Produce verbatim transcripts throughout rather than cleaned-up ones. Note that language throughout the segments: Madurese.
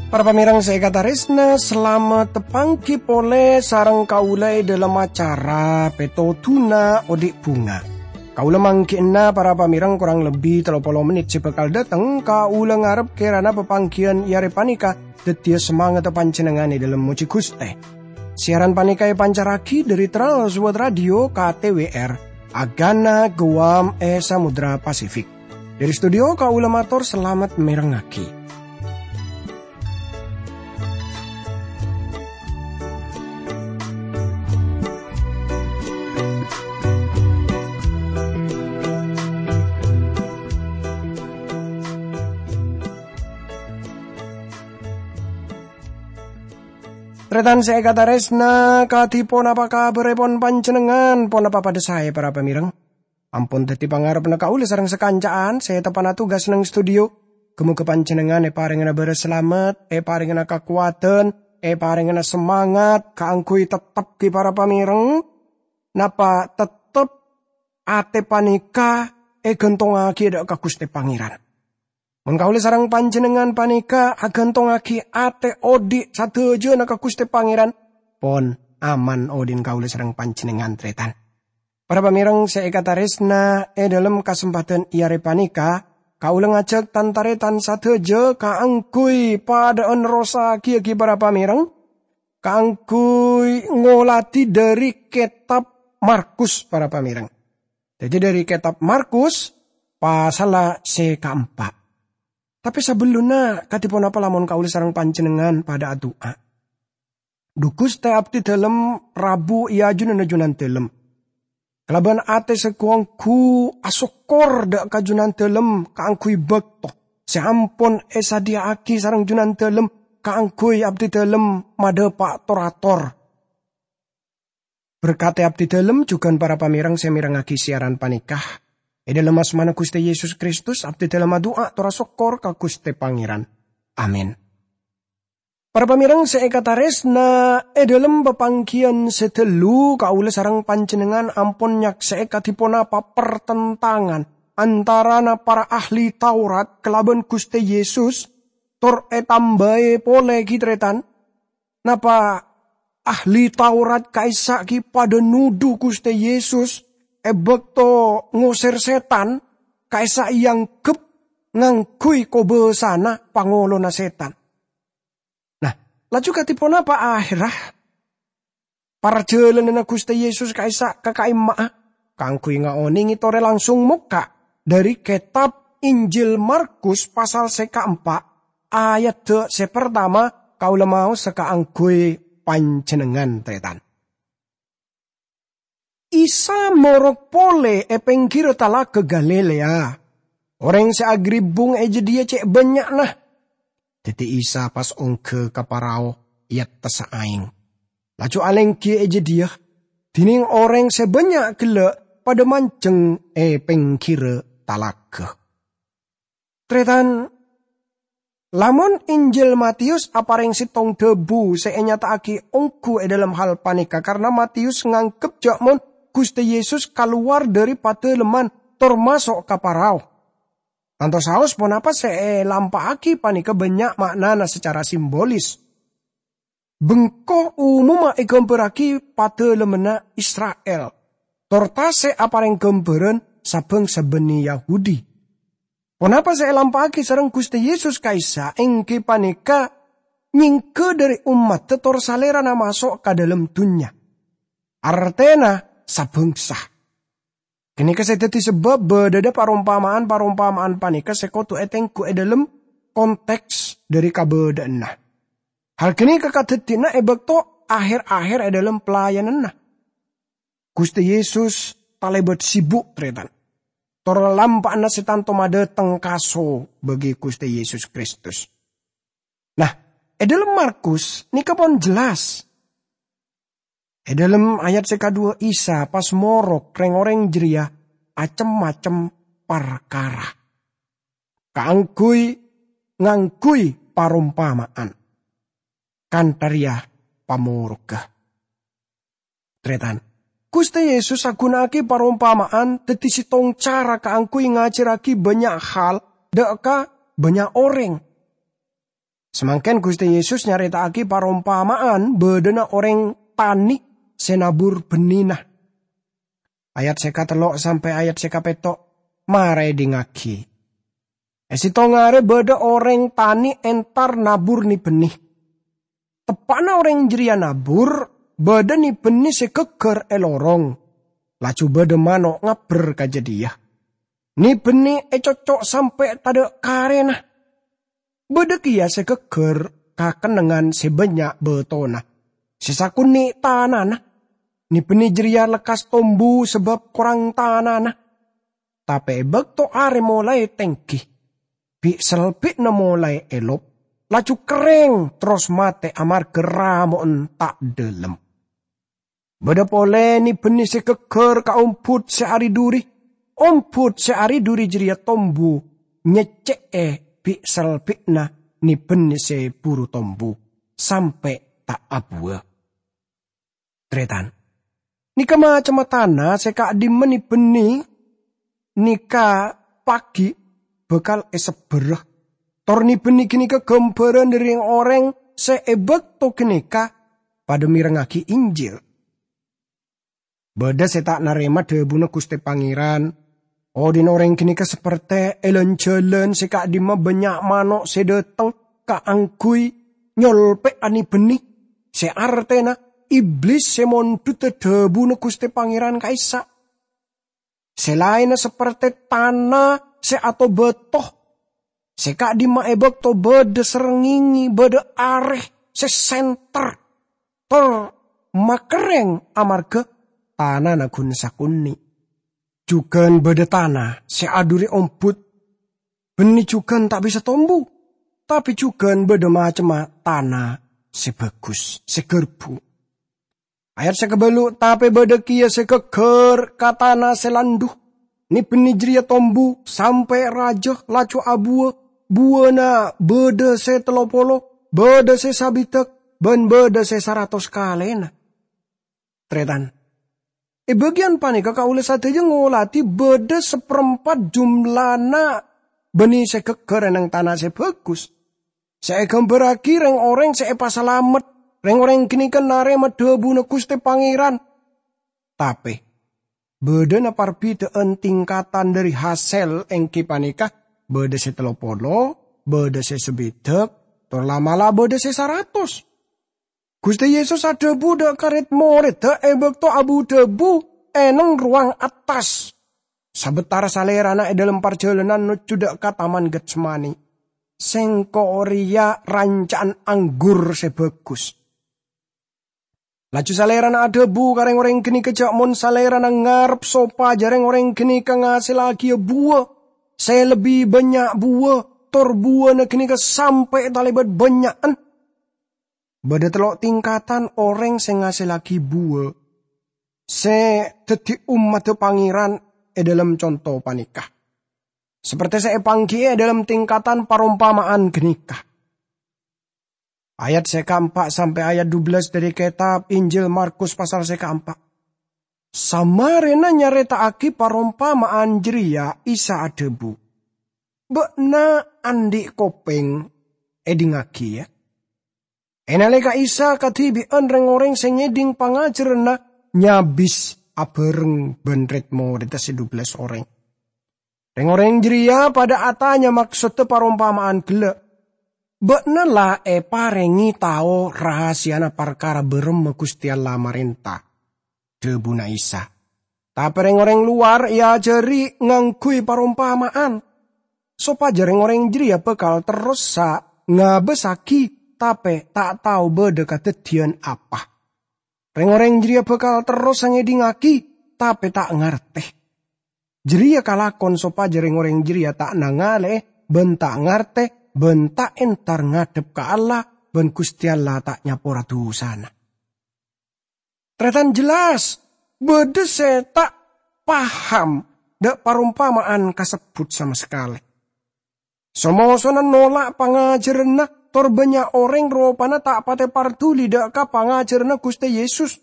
Para pamèrèng sè èkatarèsna, salamet tapanggi polè sareng kaulâ è dhâlem acara Pètodhuna Odi' Bhunga. Kaulâ mangghi'na para pamèrèng korang lebbi tello polo mennit sè bhâkal dâteng, kaulâ ngarep kèrana papangghiyân è arè panèka dhâddhiyâ samangatta panjhennengngan è dhâlem mojhi Ghustè. Siaran panèka èpancarraghi dhâri Trans World Radio K T W R, Agana Guam è Samudra Pasifik. Dhâri studio kaulâ mator salamet mèrengngaghi. Tarètan sè èkatarèsna, kadhi ponapa kabhârèpon panjhennengngan? Ponapa padhâ saè, para pamèrèng? Ampon dhâddhi pangarebbhâ kaulâ sareng sakanca'an sè teppa'na tugas neng studio. Ghâ-mogâ panjhennengngan èparèngana bârâs salamet, èparèngana kakowadhân, èparèngana samangat kaangghuy tettep ghi para pamèrèng. Napa tettep atè panèka èghântongngaghi dâ' ka Ghustè Pangèran? Mon kaulâ sareng panjhennengngan panèka aghântongngaghi atè odi' sadhâjâna ka Ghustè Pangèran, pon aman odi'na kaulâ sareng panjhennengngan, tarètan. Para pamèrèng sè èkatarèsna, è dhâlem kasempadhân è arè panèka, kaulâ ngajhâk tan-tarètan sadhâjâ kaangghuy padhâ'ân nerrossaghiyâ ghi para pamèrèng, kaangghuy ngoladhi dhâri Kètab Markus, para pamèrèng. Dhâddhi, dhâri Kètab Markus, pasalla sè kaempa'. Tapè sabellunna, kadhi ponapa lamon kaulâ sareng panjhennengngan padhâ adu'a? Dhu Ghustè, abdhi dhâlem rabu è ajunanna Junandhâlem. Kalabân atè sè ghu-ongghu asokkor dâ' ka Junandhâlem kaangghuy bâkto sè ampon èsadhiyâ'aghi sareng Junandhâlem kaangghuy abdhi dhâlem madhâpa' tor-ator. Berkadhi abdhi dhâlem jhughân para pamèrèng sè mèrengngaghi siaran panèka. È dhâlem asmana Ghustè Yesus Kristus, abdhi dhâlem adu'a tor asokkor ka Ghustè Pangèran. Amin. Para pamèrèng sè èkatarèsna, è dhâlem papangghiyân sè ghâllu kaulâ sareng panjhennengngan ampon nyaksè'è kadhi ponapa pertentangan antarana para ahli Taurat kalabân Ghustè Yesus, tor ètambâi polè ghi, tarètan. Napa ahli Taurat ka'issa' ghi padhâ nodhu Ghustè Yesus è bâkto ngosèr sètan, ka'issa' èangghep ngangghuy kobâsana pangolona sètan? Nah, laju kadhi ponapa ahèrra? Parjhâlânanna Ghustè Yesus ka'issa' ka ka'imma'a kaangghuy ngaonèngè torè langsung mokka' dhâri kètab Injil Markus pasal sè kaempa', ayadda sè partama kaulâ maosa kaangghuy panjhennengngan, tarètan. Isa morok polè è pèngghirra Talaga Galilea. Orèng sè agribbung è jâdiyâ cè' bânnya'na. Dhâddhi Isa pas ongghâ ka parao è attassa aèng. Laju alèngghi è jâdiyâ, dhinèng orèng sè bânnya' ghellâ' padhâ manjheng è pèngghirra talaga. Tarètan, lamon Injil Matius aparèng sèttong dhâbu sè ènyata'aghi ongghu è dhâlem hal panèka, karna Matius nganggep jâ' mon Ghustè Yesus kalowar dhâri padâlemman tor maso' ka parao. Tanto saos ponapa sè èlampa'aghi panèka bânnya' ma'nana sacara simbolis. Bengko umumma èghâmbhârraghi padâlemmanna Isra'il, tor tasè' aparèng ghâmbhârân sa-bhângsa bânnè Yahudi. Ponapa sè èlampa'aghi sareng Ghustè Yesus ka'issa' èngghi panèka nyèngghâ dhâri ommaddhâ tor Salèrana maso' ka dhâlem dhunnya, artèna sa-bhângsa. Ghânèka sè dhâddhi sabâb bâdâdhâ parompama'an-parompama'an panèka sè kodhu ètengghu è dhâlem konteks dhâri kabâdâ'ânna. Hal ghânèka kadhâddhiyânna è bâkto aher-aher è dhâlem pelayananna. Ghustè Yesus talèbât sibuk, tarètan. Tor lampa'na sè tanto madâteng kaso bagi Ghustè Yesus Kristus. Nah, è dhâlem Markus nèka pon jelas. È dhâlem ayat sè kadhuwâ, Isa pas morok rèng-orèng jârèya acem-macem parkara kaangghuy ngangghuy parompama'an. Kantha rèya, pamorogga. Tarètan, Ghustè Yesus aghuna'aghi parompama'an dhâddhi sèttong cara kaangghuy ngajhârraghi bânnya' hal dhâ' ka bânnya' orèng. Samangkèn Ghustè Yesus nyarèta'aghi parompama'an bâdâna orèng tanè sè nabur bennina. Ayat sè katello' sampè' ayat sè kapètto', mara èdingngaghi. È sèttong arè bâdâ orèng tanè entar nabur ni-bhenni. Teppa'na orèng jârèya nabur, bâdâ ni-bhenni sè ghâggâr è lorong. Laju bâdâ mano' ngabbher ka jâdiyâ. Ni-bhenni ècocco' sampè' tadâ' karèna. Bâdâ kèya sè ghâggâr ka kennengngan sè bânnya' bâtona, sè sakonè' tanana. Ni-bhenni jârèya lekkas tombu sabâb korang tanana. Tapè è bâkto arè molaè tèngghi, bi'-salbi'na molaè èlop, laju kerrèng terros matè amarghâ ramo'en ta' dhâlem. Bâdâ polè ni-bhenni sè ghâggâr ka ombhut sè ari-duri. Ombhut sè ari-duri jârèya tombu nyèccè'è bi'-salbi'na ni-bhenni sè buru tombu, sampè' ta' abuwâ. Tarètan, nèka macemma tana sè ka'dimma ni-bhenni nèka paghi' bhâkal èsebbhârâ. Tor ni-bhenni ghânèka ghâmbhârân dhâri rèng-orèng sè è bâkto ghânèka padâ mèrengngaghi Injil. Bâdâ sè ta' narèma dhâbuna Ghustè Pangèran. Odhi'na orèng ghânèka sapertè è lan-jhâlân sè ka'dimma bânnya' mano' sè dhâteng kaangghuy nyolpè'a ni-bhenni, sè artèna Iblis sè mondhudhâ dhâbuna Ghustè Pangèran ka'issa'. Sè laènna sapertè tana sè atobâto, sè ka'dimma è bâkto bâdâ srengngengè, bâdâ arè sè sènter, tor makerrèng amarghâ tanana ghun sakonè'. Jhughân bâdâ tana sè adhuri ombhut, bhenni jhughân ta' bisa tombu, tapè jhughân bâdâ macemma tana sè bhâghus, sè ghârbhu. Ayat sè kabâllu', tapè bâdâ kèya sè ghâggâr ka tana sè landhu. Ni-bhenni jârèya tombu sampè' rajâ, laju abuwâ. Buwâna bâdâ sè tello polo, bâdâ sè sabidhâk, bân bâdâ sè saratos kalèna. Tarètan, è bâgiyân panèka kaulâ sadhâjâ ngolatè bâdâ saparempat jumlana bânnè sè ghâggâr è neng tana sè bhâghus. Sè èghâmbhârraghi rèng-orèng sè èpasalamet, rèng-orèng ghânèka narèma dhâbuna Ghustè Pangèran. Tapè, bâdâna parbidhâ'ân tingkatan dhâri hasèl, èngghi panèka bâdâ sè tello polo, bâdâ sè sabidhâk, tor la'-mala' bâdâ sè saratos. Ghustè Yesus adhâbu dhâ' ka red-morèdda è bâkto abu-dhâbu è neng rowang attas, sabâtara Salèrana è dâlem parjhâlânan nojjhu dhâ' ka Taman Getsemani, "Sèngko' rèya ranca'an anggur sè bhâghus." Laju Salèrana adhâbu ka rèng-orèng ghânèka jhâ' mon Salèrana ngarep sopajâ rèng-orèng ghânèka ngasèllaghiyâ buwâ sè lebbi bânnya' buwâ, tor buwâna ghânèka sampè' talèbât bânnya'an. Bâdâ tello' tingkatan orèng sè ngasèllaghi buwâ sè dhâddhi ommaddhâ Pangèran è dâlem conto panèka, sapertè sè èpangghi'i è dâlem tingkatan parompama'an ghânèka. Ayat sè kaempa' sampè' ayat dubellâs dhâri kètab Injil Markus pasal sè kaempa'. Samarèna nyarèta'aghi parompama'an jârèya, Isa adhâbu, "Bâ'na andi' kopèng, èdhingngaghi, yâ!" È nalèka Isa kadhibi'ân rèng-orèng sè ngèdhing pangajhârânna nyabis abhâreng bân red-morèdda sè dubellâs orèng. Rèng-orèng jârèya padâ atanya maksoddhâ parompama'an ghellâ', "Bâ'na la èparèngè tao rahasiyana parkara bârâmma Ghustè Allah marènta," dhâbuna Isa. Tapè rèng-orèng lowar èajhâri ngangghuy parompama'an, sopajâ rèng-orèng jârèya bhâkal terrosa ngabâssaghi, tapè ta' tao bâdâ kadhâddhiyân apa. Rèng-orèng jârèya bhâkal terrosa ngèdhingngaghi, tapè ta' ngartè. Jârèya kalakon sopajâ rèng-orèng jârèya ta' nangalè'è bân ta' ngartè bân ta' entar ngadhep ka Allah, bân Ghustè Allah ta' nyapora dhusana. Tarètan, jelas bâdâ sè ta' paham dhâ' parompama'an kasebbhut sama sakalè. So-mosona nola' pangajhârânna Tor bannya' orèng ropana ta' patè parduli dâ' ka pangajhârânna Ghustè Yesus.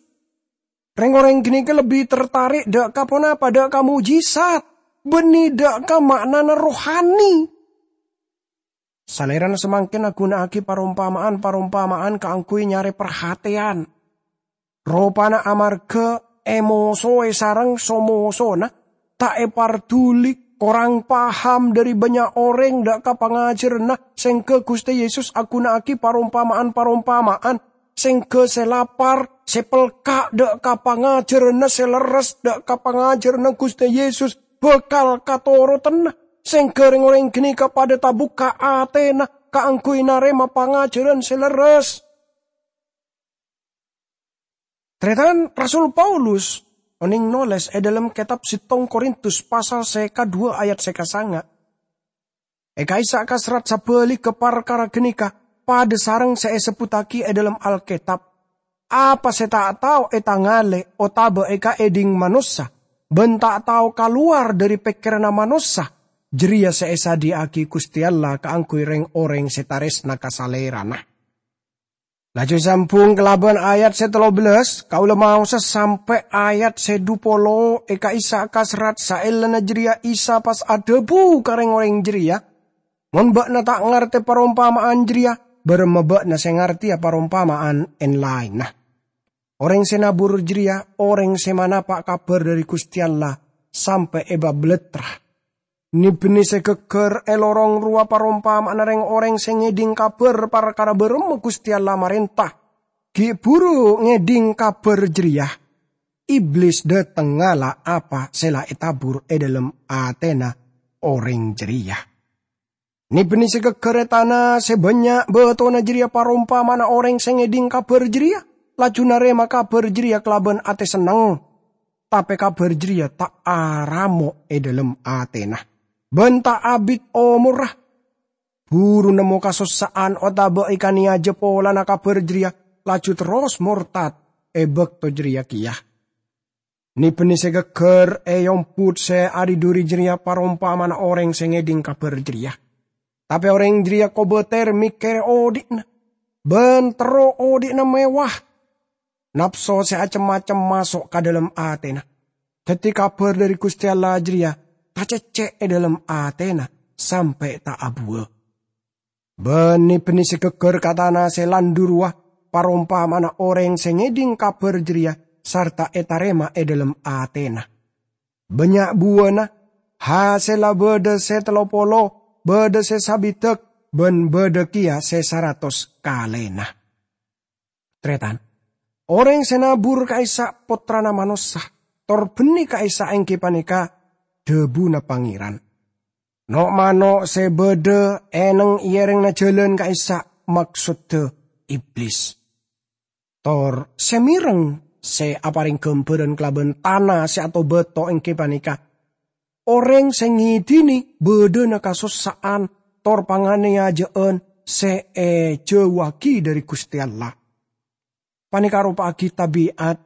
Rèng-orèng ghânèka lebbi tertarik dâ' ka ponapa? Dâ' ka mojjhizat, bânnè dâ' ka ma'nana rohani. Salèrana samangkèn aghunaaghi parompama'an-parompama'an kaangghuy nyarè parhatèyan. Ropana amarghâ èmosoè sareng so-mosona, ta' èparduli, korang paham dhâri bannya' orèng dâ' ka pangajhârânna, sèngghâ Ghustè Yesus aghunaaghi parompama'an-parompama'an, sèngghâ sè lapar, sè pelka' dâ' ka pangajhârânna sè lerres, dâ' ka pangajhârânna Ghustè Yesus, bhâkal katorodanna, sèngghâ rèng-orèng ghânèka padâ tabukka' atèna kaangghuy narèma pangajhârân sè lerres. Tarètan, Rasul Paulus onèng nolès è dhâlem kètab settong Korintus pasal sè kadhuwâ ayat sè kasanga'. È ka'issa' ka serrat sabhâligghâ parkara ghânèka padâ sareng sè èsebbhuttaghi è dhâlem Alkètab, "Apa sè ta' tao ètangalè otabâ èkaèdhing manossa, bân ta' tao kalowar dhâri pèkkèranna manossa, jârèya sè èsadhiyâ'aghi Ghustè Allah kaangghuy rèng-orèng sè tarèsna ka Salèrana." Laju sambung kalabân ayat sè tello bellâs, kaulâ maosa sampè' ayat sè dhu polo è ka'issa' ka serrat. Saellana jârèya Isa pas adhâbu ka rèng-orèng jârèya, "Mon bâ'na ta' ngartè parompama'an jârèya, bârâmma bâ'na sè ngartèya parompama'an èn-laènna?" Orèng sè nabur jârèya orèng sè manapa' kabhâr dhâri Ghustè Allah sampè' èpabalattra. Nè-bânnè sè ghâggâr è lorong rowa parompama'anna rèng-orèng sè ngèdhing kabhâr parkara bârâmma Ghustè Allah marènta. Ghi' bhuru ngèdhing kabhâr jârèya, Iblis dâteng ngala' apa sè la ètabur è dhâlem atèna orèng jârèya. Nè-bânnè sè ghâggâr è tana sè bânnya' bâtona jârèya parompama'anna orèng sè ngèdhing kabhâr jârèya, laju narèma kabhâr jârèya kalabân atè senneng. Tapè kabhâr jârèya ta' aramo' è dhâlem atèna, bân ta' abit omorra. Buru nemmo kasossa'an otabâ èkanèyajâ polana kabhâr jârèya, laju terros mortad è bâkto jârèya kèya. Nè-bânnè sè ghâggâr è ombut sè adhidhuri jârèya parompama'anna orèng sè ngèdhing kabhâr jârèya. Tapè orèng jârèya kobâtèr mèkkèrè odhi'na, bân terro odhi'na mewah. Napso sè acem-macem maso' ka dhâlem atèna. Dhâddhi kabhâr dhâri Ghustè Allah jârèya tacècè' è dhâlem atèna sampè' ta' abuwâ. Bânnè-bânnè sè ghâggâr ka tana sè landhu rowa parompama'anna orèng sè ngèdhing kabhâr jârèya sarta ètarèma è dhâlem atèna. Bânnya' buwâna, hasèlla bâdâ sè tello polo, bâdâ sè sabidhâk, bân bâdâ kèya sè saratos kalèna. Tarètan, orèng sè nabur ka'issa' Pottrana Manossa, tor bânnè ka'issa' èngghi panèka dhâbuna Pangèran. No'-mano' sè bâdâ è neng-èrèngnga jhâlân ka'issa' maksodda Iblis. Tor sè mèreng sè aparèng ghâmbhârân kalabân tana sè ato-bâto èngghi panèka orèng sè ngèdhinè bâdâna kasossa'an tor panganèyajâ'ân sè èjhâuwaghi dhâri Ghustè Allah. Panèka aropa'aghi tabi'at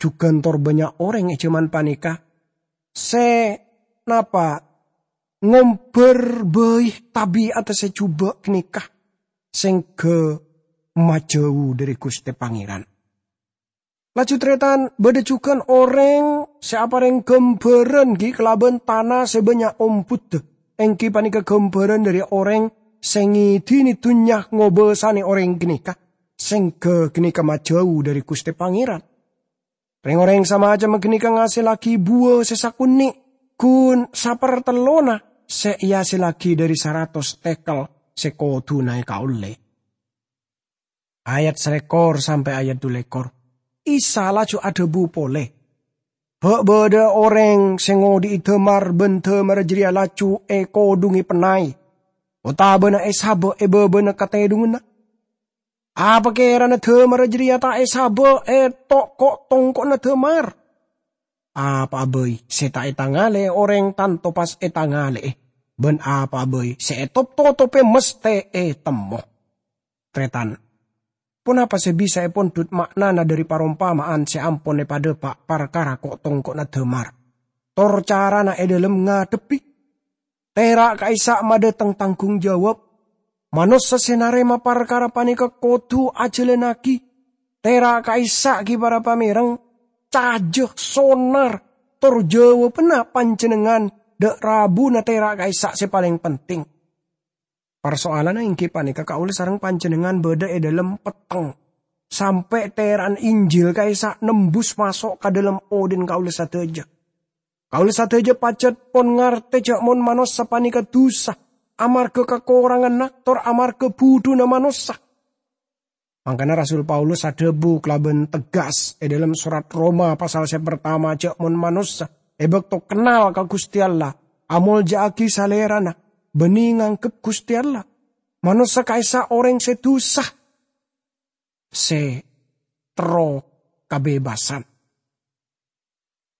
jhughân tor bânnya' orèng è jhâman panèka sè napa ngombhâr bhâi tabi'atta sè jhubâ' ghânèka sèngghâ majhâu dhâri Ghustè Pangèran. Laju tarètan, bâdâ jhughân orèng sè aparèng ghâmbhârân ghi' kalabân tana sè bânnya' ombhudda, èngghi panèka ghâmbhârân dhâri orèng sè ngèdhinè dhunnya ngobâsanè orèng ghânèka, sèngghâ ghânèka majhâu dhâri Ghustè Pangèran. Rèng-orèng samacemma ghânèka ngasèllaghi buwâ sè sakonè', ghun sapartellona sè èasèllaghi dhâri saratos tèkel sè kodhuna èkaollè. Ayat salèkor sampè' ayat dhulèkor. Isa laju adhâbu polè, "Bâ' bâdâ orèng sè ngodhi'i dâmar bân dâmarra jârèya laju èkodhungè pennay, otabâna èsabâ' è bâbâna katèdhunganna? Apa kèrana dâmarra jârèya ta' èsabâ' è to'-ko'-tongko'na dâmar? Apa'a bhâi sè ta' ètangalè'è orèng tanto pas ètangalè'è, bân apa'a bhâi sè ètop-totopè mastè ètemmo." Tarètan, ponapa sè bisa èpondhut ma'nana dhâri parompama'an sè ampon èpadhâpa' parkara ko'-tongko'na dâmar, tor carana è dhâlem ngadhebbhi? Tèra' ka'issa' madâteng tanggung jawab. Manossa sè narèma parkara panèka kodhu ajhâlânnaghi. Tèra' ka'issa' ghi' para pamèreng, cajâ, sonar, tor jâwâbhânna panjhennengngan dâ' rabuna tèra' ka'issa' sè palèng penting. Parsoalanna èngghi panèka kaulâ sareng panjhennengngan bâdâ è dâlem petteng, sampè' tèra'an Injil ka'issa' nembus maso' ka dâlem odhi'na kaulâ sadhâjâ. Kaulâ sadhâjâ pajhât pon ngartè jâ' mon manossa panèka dhusa, amarghâ kakoranganna tor amarghâ budhuna manossa. Mangkana Rasul Paulus adhâbu kalabân tegas è dâlem sorat Roma pasal sè partama jâ' mon manossa è bâkto kennal ka Ghustè Allah, amolja'aghi salèrana, bânnè nganggep Ghustè Allah. Manossa ka'issa' orèng sè dhusa, sè terro kabebassan.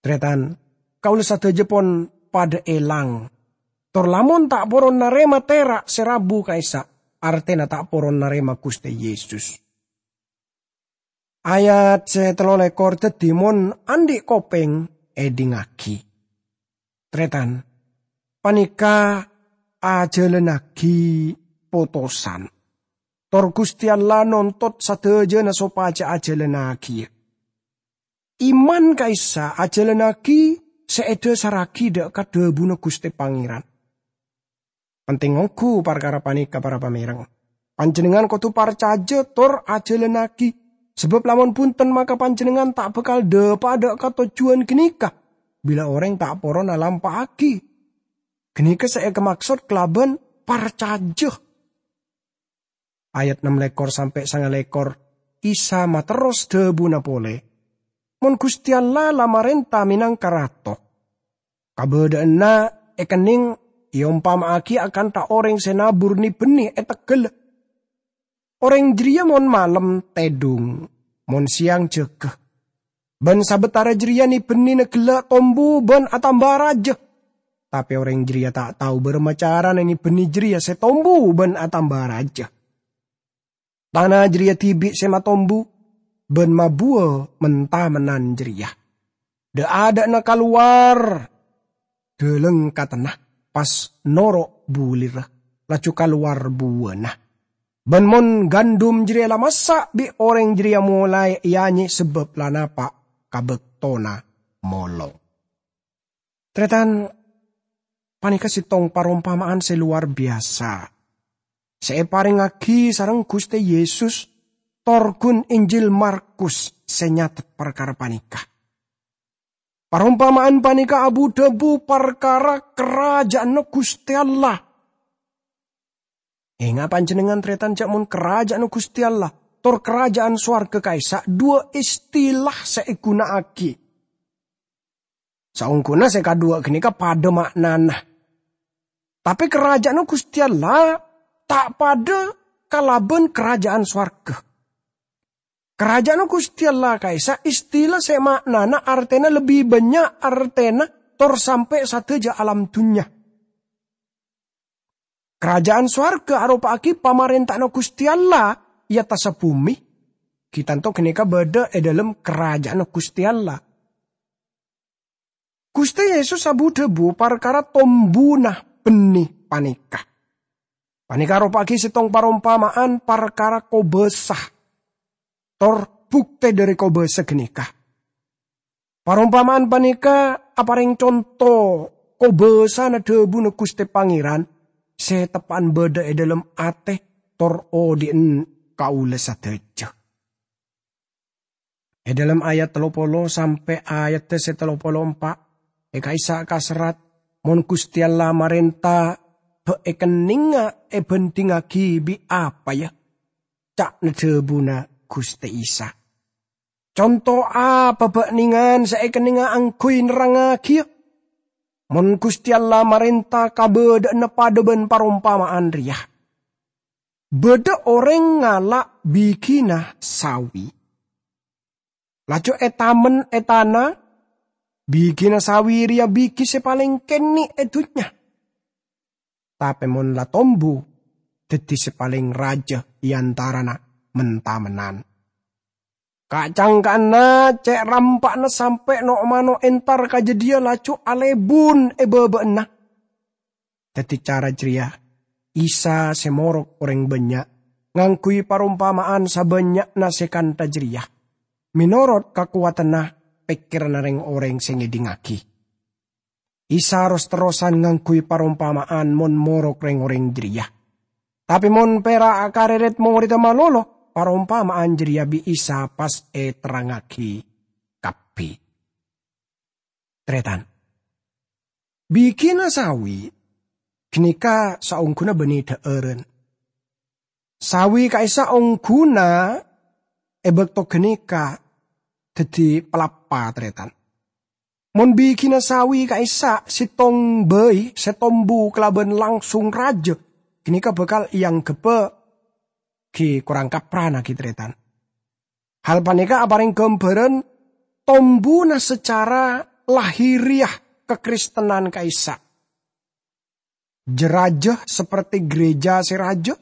Tarètan, kaulâ sadhâjâ pon padâ èlang. Tor lamon ta' poron narèma tèra' sè rabu ka'issa', artèna ta' poron narèma Ghustè Yesus. Ayat sè tello lèkor dhâddhi mon andi' kopèng, èdingngaghi. Tarètan, panèka ajhâlânnaghi potosan. Tor Ghustè Allah nontot sadhâjâna sopajâ ajhâlânnaghi. Iman ka'issa' ajhâlânnaghi sè èdhâsarraghi dâ' ka dhâbuna Ghustè Pangèran. Penting ongghu parkara panèka, para pamèreng. Panjhennengngan kodhu parcajâ tor ajhâlânnaghi, sabâb lamon bhunten maka panjhennengngan ta' bhâkal dâpa'a dâ' ka tojjhuwân ghânèka, bilâ orèng ta' poron alampa'aghi. Ghânèka sè èkamaksod kalabân parcajâ. Ayat ennem lèkor sampè' sanga lèkor, Isa materros dhâbuna polè, "Mon Ghustè Allah la marènta mènangka Rato, kabâdâ'ânna èkennèng èompama'aghi akantha orèng sè nabur ni-bânnè è teggalla. Orèng jârèya mon malem tèdhung, mon sèyang jâgâ. Bân sabâtara jârèya ni-bânnèna ghellâ' tombu bân atamba rajâ. Tapè orèng jârèya ta' tao bârâmma carana ni-bânnè jârèya sè tombu bân atamba rajâ. Tana jârèya dhibi' sè matombu bân mabuwâ men-tamennan jârèya. Dâ'-adâ'na kalowar dâlâng ka tenna, pas noro' bulirra, laju kalowar buwâna. Bân mon gandum jârèya la massa', bi' orèng jârèya molaè èanyè sabâb la napa' ka bâktona molong." Tarètan, panèka sèttong parompama'an sè lowar biyasa sè èparèngaghi sareng Ghustè Yesus tor ghun Injil Markus sè nyatet parkara panèka. Parompama'an panèka abu-dhâbu parkara Karajâânna Ghustè Allah. Enga' panjhennengngan, tarètan, jâ' mon Karajâânna Ghustè Allah tor Karajâân Sowarghâ ka'issa' duwâ' istilah sè èghuna'aghi. Saongghuna sè kaduwâ' ghânèka padâ ma'nana. Tapè Karajâânna Ghustè Allah ta' padâ kalabân Karajâân Sowarghâ. Karajâânna Ghustè Allah ka'issa' istilah sè ma'nana artèna lebbi bânnya' artèna tor sampè' sadhâjâ alam dhunnya. Karajâân sowarghâ aropa'aghi pamarènta'anna Ghustè Allah è attassa bhumè. Ghi' tanto ghânèka bâdâ è dâlem Karajâânna Ghustè Allah. Ghustè Yesus abu-dhâbu parkara tombuna bânnè panèka. Panèka aropa'aghi sèttong parompama'an parkara kobâsa, tor buktè dhâri kobâsa ghânèka. Parompama'an panèka aparèng conto kobâsana dhâbuna Ghustè Pangèran sè teppa'an bâdâ è dâlem atè tor odi'en kaulâ sadhâjâ. È dâlem ayat tello polo sampè' ayat sè tello polo empa', è ka'issa' kaserrat, "Mon Ghustè Allah marènta, bâ' èkennèngnga èbhânḍhingngaghi bi' apa, ya?" ca'na dhâbuna Ghustè Isa. "Conto apa bâ'nèngan sè èkennèngnga angghuy nerrangngaghi, ya? Mon Ghustè Allah marènta kabâdâ'ânna padâ bân parompama'an rèya. Bâdâ orèng ngala' bighina sawi. Laju ètamen è tana, bighina sawi rèya bighi sè palèng kènè' è dhunnya. Tapè mon la tombu, dhâddhi sè palèng rajâ è antarana men-tamennan. Ka'-cangka'anna cè' rampa'na sampè' no'-mano' entar ka jâdiyâ laju alèbun è bâbâ'na. Daddi cara jârèya, Isa sè morok orèng bânnya' ngangghuy parompama'an sabânnya'na sè kantha jârèya, mènorot kakowadhânna pèkkèranna rèng-orèng sè ngèdingngaghi. Isa ros-terrosan ngangghuy parompama'an mon morok rèng-orèng jârèya. Tapè mon pèra' karè rèd-morèdda malolo, parompama'an jârèya bi' Isa pas èterrangngaghi kabbhi. Tarètan. Bighina sawi ghânèka saongghuna bânnè dhâ'ârân. Sawi ka'issa' ongghuna è bâkto ghânèka daddi palappa, tarètan. Mon bighina sawi ka'issa' sèttong bhâi sè tombu kalabân langsung rajâ, ghânèka bhâkal èangghebbhâ ghi' korang kaprana ghi', tarètan. Hal panèka aparèng ghâmbhârân tombuna sacara lahiriah kakristènan ka'issa'. Jâ-rajâ saperti gereja sè rajâ,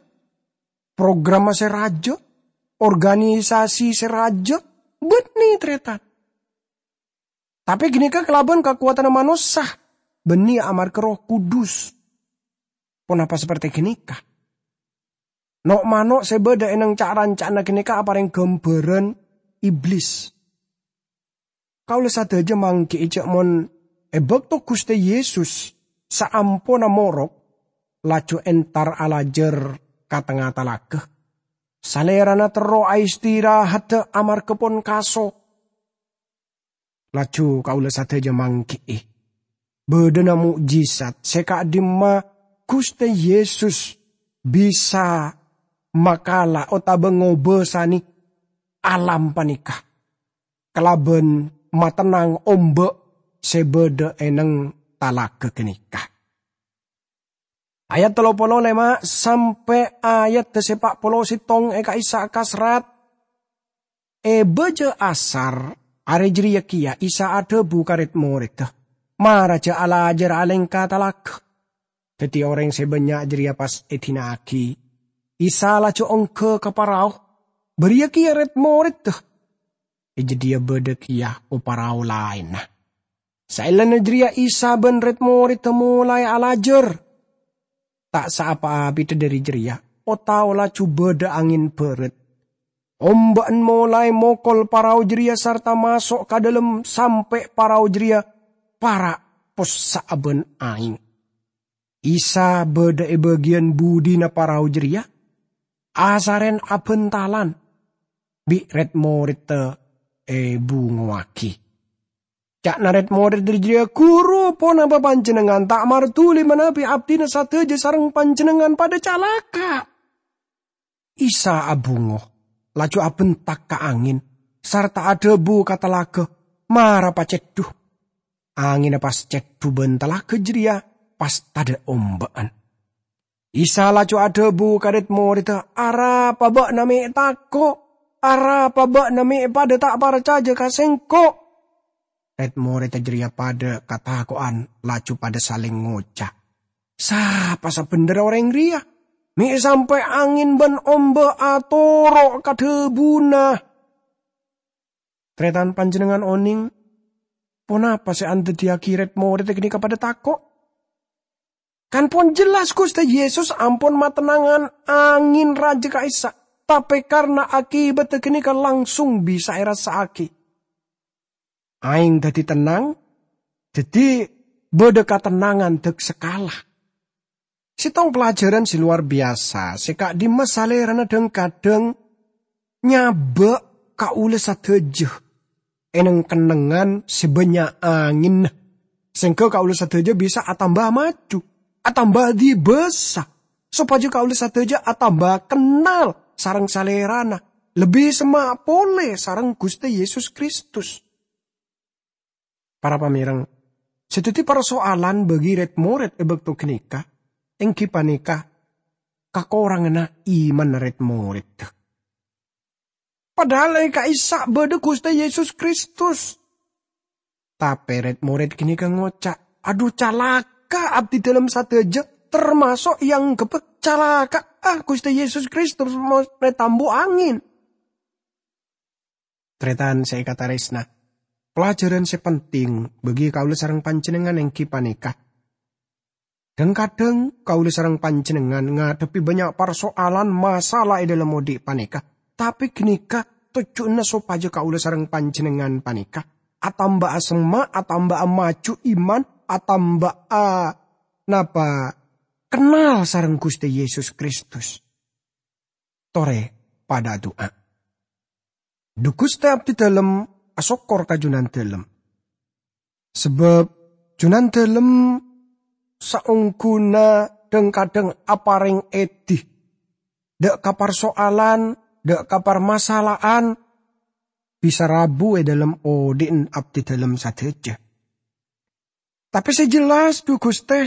programma sè rajâ, organisasi sè rajâ, bânnè, tarètan. Tapè ghânèka kalabân kakowadhânna manossa, bânnè amarghâ Erroh Kudus. Ponapa saperti ghânèka? No'-mano' sè bâdâ è neng ca'-ranca'anna ghânèka aparèng ghâmbhârân Iblis. Kaulâ sadhâjâ mangghi'i jâ' mon è bâkto Ghustè Yesus saamponna morok, laju entar alajâr ka tengnga talaga, Salèrana terro aistirahaddhâ amarghâ pon kaso. Laju kaulâ sadhâjâ mangghi'i bâdâna mo'jizat sè ka'dimma Ghustè Yesus bisa makala otabâ ngobâsanè alam panèka kalabân matennang omba' sè bâdâ è neng talaga ghânèka. Ayat tello polo lèma' sampè' ayat sè pa' polo sèttong è ka'issa' kasrat. È bâjâ asar arè jârèya kèya Isa adhâbu ka rèd-morèdda, "Mara jâ' alajâr alèngka talaga." Daddi orèng sè bânnya' jârèya pas èdina'aghi. Isa laju ongghâ ka parao, bâriyâ kèya rèd-morèdda. È jâdiyâ bâdâ kèya oparao laènna. Saellana jârèya Isa bân rèd-morèdda molaè alajâr. Ta' saapa abidhâ dhâri jârèya, o-tao laju bâdâ angèn bârât. Omba'an molaè mokol parao jârèya sarta maso' ka dâlem sampè' parao jârèya para' possa' bân aèng. Isa bâdâ è bâgiyân budina parao jârèya, asarèn abântalan, bi' rèd-morèdda èbungowaghi. Ca'na rèd-morèd jârèya, "Ghuru, ponapa panjhennengngan ta' marduli manabi abdhina sadhâjâ sareng panjhennengngan padâ calaka'?" Isa abungo, laju abentak ka angèn, sarta adhâbu ka talaga, "Mara paceddhu." Angènna pas ceddhu bân talaga jârèya pas tadâ' omba'an. Isa laju adhâbu ka rèd-morèdda, "Arapa bâ'na mè' tako'? Arapa bâ'na mè' padâ ta' parcajâ ka Sèngko'?" Rèd-morèdda jârèya padâ katako'an, laju padâ salèng ngoca', "Sapa sabhendherra orèng rèya? Mè' sampè' angèn bân omba' atoro' ka dhâbuna." Tarètan, panjhennengngan onèng ponapa sè andhâddhiyâghi rèd-morèdda ghânèka padâ tako'? Kan pon jelas Ghustè Yesus ampon matennangan angèn rajâ ka'issa', tapè karna akibatta ghânèka langsung bisa èrassa'aghi. Aèng dhâddhi tennang, dhâddhi bâdâ katennangan dâk-sakala. Sèttong pelajaran sè lowar biyasa sè ka'dimma Salèrana dhâng-kadhâng nyabâ' kaulâ sadhâjâ è neng-kennengngan sè bânnya' angènna, sehingga kaulâ sadhâjâ bisa atamba maju, atamba dibâsa, sopajâ kaulâ sadhâjâ atamba kennal sareng Salèrana, lebbi semma' polè sareng Ghustè Yesus Kristus. Para pamèreng, sè dhâddhi parsoalan bagi rèd-morèd è bâkto ghânèka èngghi panèka kakoranganna imanna rèd-morèdda. Padahal è ka'issa' bâdâ Ghustè Yesus Kristus. Tapè rèd-morèd ghânèka ngoca', "Adhu, calaka' abdhi dâlem sadhâjâ, tamaso' èangghebbhâ calaka'a Ghustè Yesus Kristus mon ètambu angèn." Tarètan sè èkatarèsna, pelajaran sè penting bagi kaulâ sareng panjhennengngan èngghi panèka, Dhâng-kadhâng kaulâ sareng panjhennengngan ngadhebbhi bânnya' parso'alan masalah è dhâlem odi' panèka, tapè ghânèka tojjhuna sopajâ kaulâ sareng panjhennengngan panèka atamba'a semma', atamba'a maju iman, atamba'a napa, kennal sareng Ghustè Yesus Kristus. Torè padâ adu'a. Dhu Ghustè, abdhidhâlem asokkor ka Jhunandhâlem. Sabâb Jhunandhâlem saongghuna dhâng-kadhâng aparèng èdhi, dâ' ka parso'alan, dâ' ka parmasala'an, bisa rabu è dhâlem odi'na abdhidhâlem sadhâjâ. Tapè sè jelas, dhu Ghustè,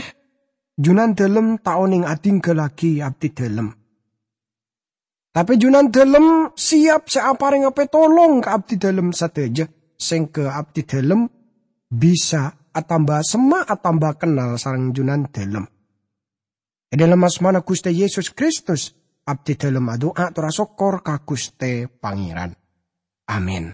Jhunandhâlem ta' onèng adhinggâllaghi abdhidhâlem. Tapè Jhunandhâlem siap sè aparèngnga pètolong ka abdhidhâlem sadhâjâ, sèngghâ abdhidhâlem bisa atamba semma', atamba kennal sareng Jhunandhâlem. È dhâlem asmana Ghustè Yesus Kristus, abdhidhâlem adu'a tor asokkor ka Ghustè Pangèran. Amin.